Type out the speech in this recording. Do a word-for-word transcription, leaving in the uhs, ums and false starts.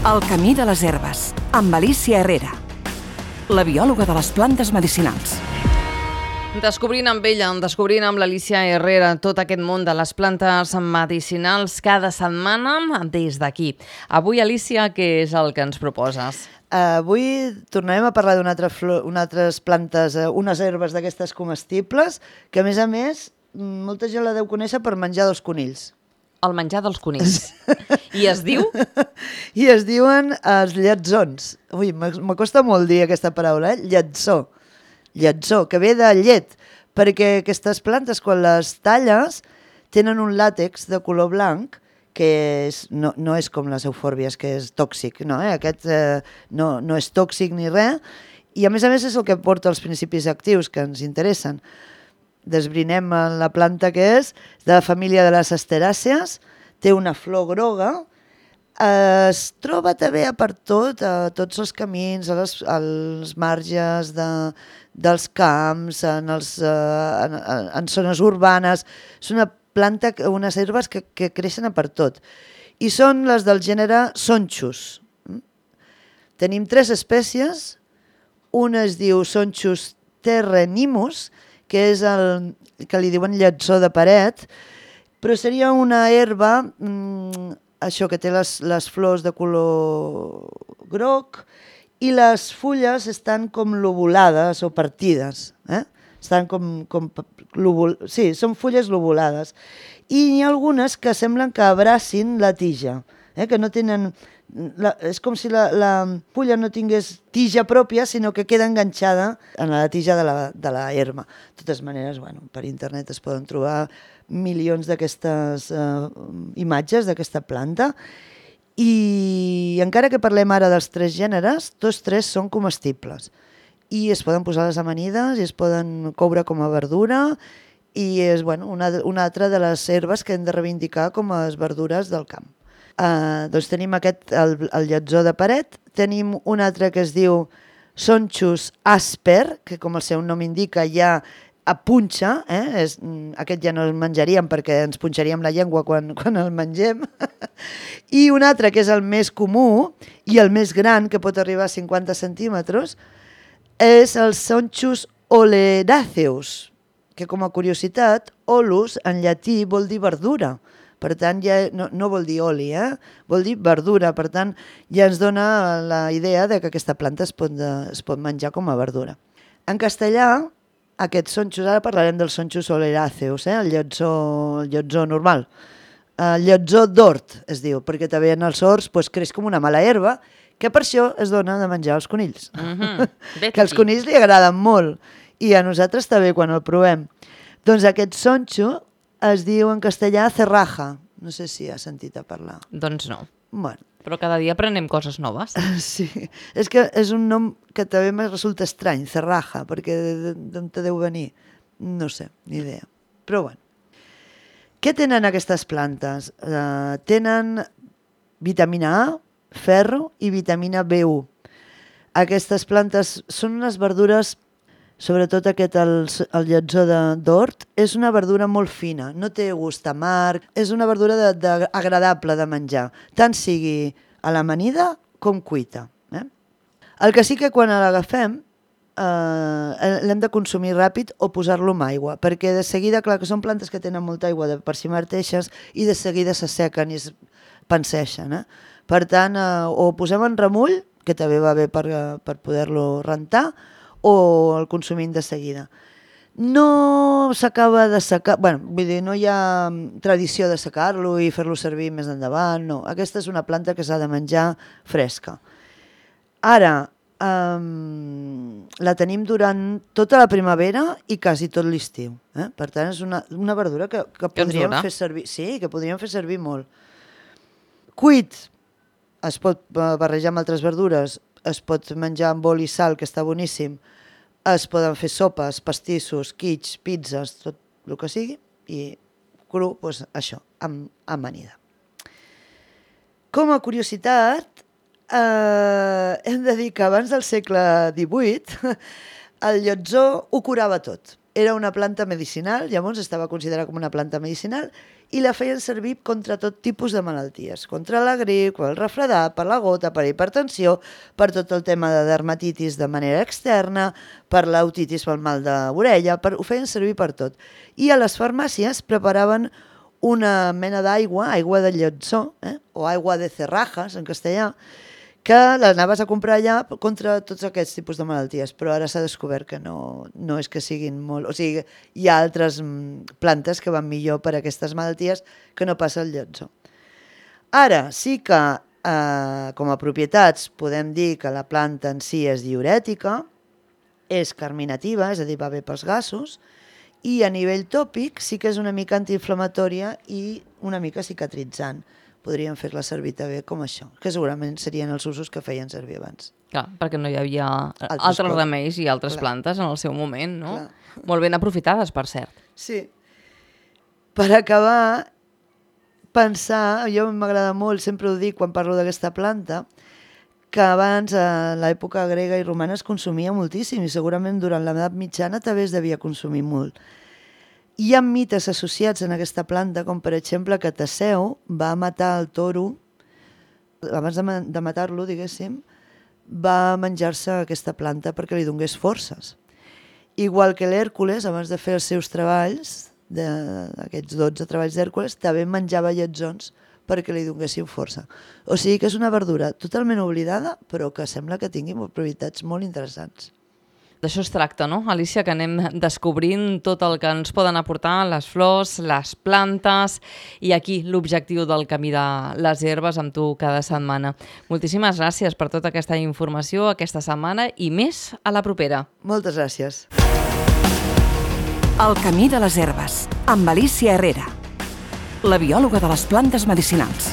El camí de les herbes, amb Alicia Herrera, la biòloga de les plantes medicinals. Descobrint amb ella, descobrint amb l'Alicia Herrera tot aquest món de les plantes medicinals cada setmana des d'aquí. Avui, Alicia, què és el que ens proposes? Uh, avui tornarem a parlar d'unes altra una altres plantes, uh, unes herbes d'aquestes comestibles, que a més a més molta gent la deu conèixer per menjar dels conills. El menjar dels conills. I es diu? I es diuen els lletzons. Ui, m'acosta molt dir aquesta paraula, eh? Lletzó. Lletzó, que ve de llet, perquè aquestes plantes, quan les talles, tenen un làtex de color blanc, que és, no, no és com les eufòrbies, que és tòxic, no, eh? Aquest eh, no, no és tòxic ni res, i a més a més és el que porta els principis actius que ens interessen. Desbrinem la planta que és, de la família de les asteràcies, té una flor groga, es troba també per tot, a tots els camins, als, als marges de, dels camps, en, els, en, en zones urbanes. És una planta, unes herbes que, que creixen a per tot. I són les del gènere Sonchus. Tenim tres espècies. Una es diu Sonchus terrenimus, que és el que li diuen lletzó de paret, però seria una herba, mmm, això que té les, les flors de color groc, i les fulles estan com lobulades o partides. Eh? Estan com, com lobul... Sí, són fulles lobulades. I n'hi ha algunes que semblen que abracin la tija, eh? Que no tenen... La, és com si la, la fulla no tingués tija pròpia, sinó que queda enganxada en la tija de la, de la herba. De totes maneres, bueno, per internet es poden trobar milions d'aquestes eh, imatges d'aquesta planta, i encara que parlem ara dels tres gèneres, tots tres són comestibles i es poden posar a les amanides i es poden coure com a verdura, i és bueno, una, una altra de les herbes que hem de reivindicar com a verdures del camp. Uh, doncs tenim aquest, el, el lletzó de paret, tenim un altre que es diu Sonchus asper, que com el seu nom indica ja a punxa, eh? És, aquest ja no el menjaríem perquè ens punxaríem la llengua quan, quan el mengem, i un altre que és el més comú i el més gran, que pot arribar a cinquanta centímetres, és el Sonchus oleraceus, que com a curiositat, olus en llatí vol dir verdura. Per tant, ja no, no vol dir oli, eh? Vol dir verdura. Per tant, ja ens dona la idea de que aquesta planta es pot, es pot menjar com a verdura. En castellà, aquests sonchus, ara parlarem dels sonchus oleraceus, eh? el, lletzó, el lletzó normal. El lletzó d'hort, es diu, perquè també en els horts pues, creix com una mala herba, que per això es dona de menjar als conills. Mm-hmm. Que als conills li agraden molt, i a nosaltres també quan el provem. Doncs aquest sonxo es diu en castellà cerraja. No sé si has sentit a parlar. Doncs no. Bueno. Però cada dia aprenem coses noves. Sí. És que és un nom que també me resulta estrany, cerraja, perquè d'on te deu venir? No sé, ni idea. Però bueno. Què tenen aquestes plantes? Uh, tenen vitamina A, ferro i vitamina B u. Aquestes plantes són unes verdures, sobretot aquest, el, el lletzó d'hort, és una verdura molt fina, no té gust amarg, és una verdura de, de, agradable de menjar, tant sigui a l'amanida com cuita. Eh? El que sí que quan l'agafem eh, l'hem de consumir ràpid o posar-lo amb aigua, perquè de seguida, clar que són plantes que tenen molta aigua de per si mateixes i de seguida s'assequen i es panseixen. Eh? Per tant, eh, o posem en remull, que també va bé per, per poder-lo rentar, o el consumim de seguida. No s'acaba de secar, bueno, vull dir, no hi ha tradició de secar-lo i fer-lo servir més endavant, no. Aquesta és una planta que s'ha de menjar fresca. Ara, um, la tenim durant tota la primavera i quasi tot l'estiu. Eh? Per tant, és una, una verdura que, que podríem fer servir, sí, que podríem fer servir molt. Cuit, es pot barrejar amb altres verdures, es pot menjar amb oli i sal, que està boníssim, es poden fer sopes, pastissos, quits, pizzas, tot el que sigui, i cru, doncs això, amb amanida. Com a curiositat, eh, hem de dir que abans del segle divuit el lletzó ho curava tot. Era una planta medicinal, llavors estava considerada com una planta medicinal, i la feien servir contra tot tipus de malalties, contra la grip, el refredat, per la gota, per hipertensió, per tot el tema de dermatitis de manera externa, per l'otitis pel mal d'orella, per, ho feien servir per tot. I a les farmàcies preparaven una mena d'aigua, aigua de lletzó, eh? o aigua de cerrajas en castellà, que l'anaves a comprar allà contra tots aquests tipus de malalties, però ara s'ha descobert que no, no és que siguin molt... O sigui, hi ha altres plantes que van millor per a aquestes malalties que no passa el lletzó. Ara, sí que eh, com a propietats podem dir que la planta en si és diürètica, és carminativa, és a dir, va bé pels gasos, i a nivell tòpic sí que és una mica antiinflamatòria i una mica cicatritzant. Podríem fer-la servir també com això, que segurament serien els usos que feien servir abans. Clar, perquè no hi havia altres, altres remeis i altres Clar. plantes en el seu moment, no? Clar. Molt ben aprofitades, per cert. Sí. Per acabar, pensar, jo m'agrada molt, sempre ho dic quan parlo d'aquesta planta, que abans, a l'època grega i romana, es consumia moltíssim i segurament durant l'edat mitjana també es devia consumir molt. Hi ha mites associats en aquesta planta, com per exemple que Teseu va matar el toro, abans de, ma de matar-lo, diguéssim, va menjar-se aquesta planta perquè li donés forces. Igual que l'Hèrcules, abans de fer els seus treballs, d'aquests dotze treballs d'Hèrcules, també menjava lletzons perquè li donessin força. O sigui que és una verdura totalment oblidada, però que sembla que tingui propietats molt interessants. D'això es tracta, no, Alicia? Que anem descobrint tot el que ens poden aportar les flors, les plantes i aquí l'objectiu del Camí de les Herbes amb tu cada setmana. Moltíssimes gràcies per tota aquesta informació aquesta setmana i més a la propera. Moltes gràcies. El Camí de les Herbes, amb Alicia Herrera, la biòloga de les plantes medicinals.